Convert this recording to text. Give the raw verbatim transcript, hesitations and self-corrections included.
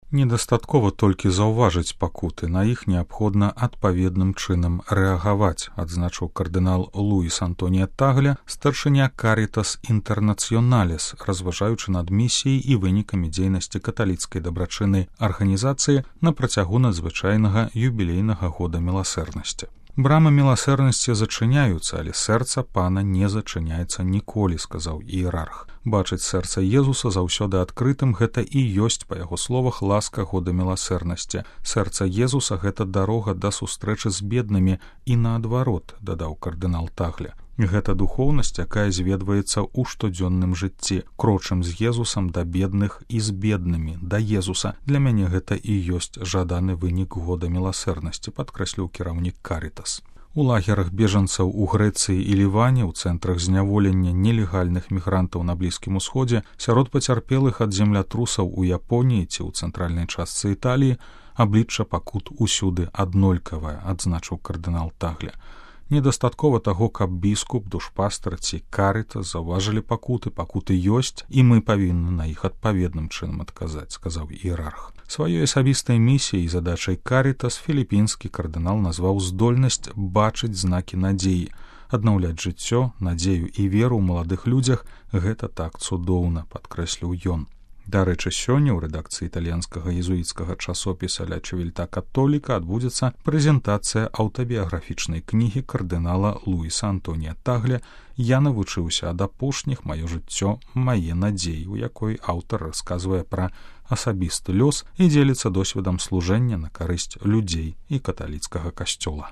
Недастаткова толькі заўважыць пакуты, на іх неабходна адпаведным чынам рэагаваць, адзначыў кардынал Луіс Антонія Тагля, старшыня Карітас Інтэрнацыёналіс, разважаючы над місіяй і вынікамі дзейнасці каталіцкай дабрачыннай арганізацыі на працягу надзвычайнага юбілейнага года міласэрнасці. Брамы міласэрнасці зачыняюцца, але сэрца пана не зачыняецца ніколі, сказаў іерарх. Бачыць сэрца Езуса заўсёды адкрытым — гэта і ёсць, па яго словах, ласка года міласэрнасці. Сэрца Езуса — гэта дарога да сустрэчы з беднымі і наадварот, дадаў кардынал Тагля. Гэта духоўнасць, якая зведваецца ў штодзённым жыцці. Крочым з Езусам да бедных і з беднымі, да Езуса. Для мяне гэта і ёсць жаданы вынік года міласэрнасці, падкрэсліў кіраўнік Карітас. У лагерах бежанцаў у Грэцыі і Ліване, у цэнтрах зняволення нелегальных мігрантаў на Блізкім Усходзе, сярод пацярпелых ад землятрусаў у Японіі ці ў цэнтральнай частцы Італіі аблічча пакут усюды аднолькавае, адзначыў кардынал Тагля. Недастаткова таго, каб біскуп, душпастар ці Карітас заўважылі пакуты, пакуты ёсць, і мы павінны на іх адпаведным чынам адказаць, сказаў іерарх. Сваёй асабістай місіяй і задачай Карітас філіпінскі кардынал назваў здольнасць бачыць знакі надзеі. Аднаўляць жыццё, надзею і веру ў маладых людзях — гэта так цудоўна, падкрэсліў ён. Дарэчы, сёння ў рэдакцыі італьянскага езуіцкага часопіса «Ля Чивільта Католіка» адбудзецца прэзентацыя аўтабіяграфічнай кнігі кардынала Луіса Антонія Тагля «Я навучыўся ад апошніх, маё жыццё, мае надзеі», у якой аўтар расказвае пра асабісты лёс і дзеліцца досведам служэння на карысць людзей і каталіцкага касцёла.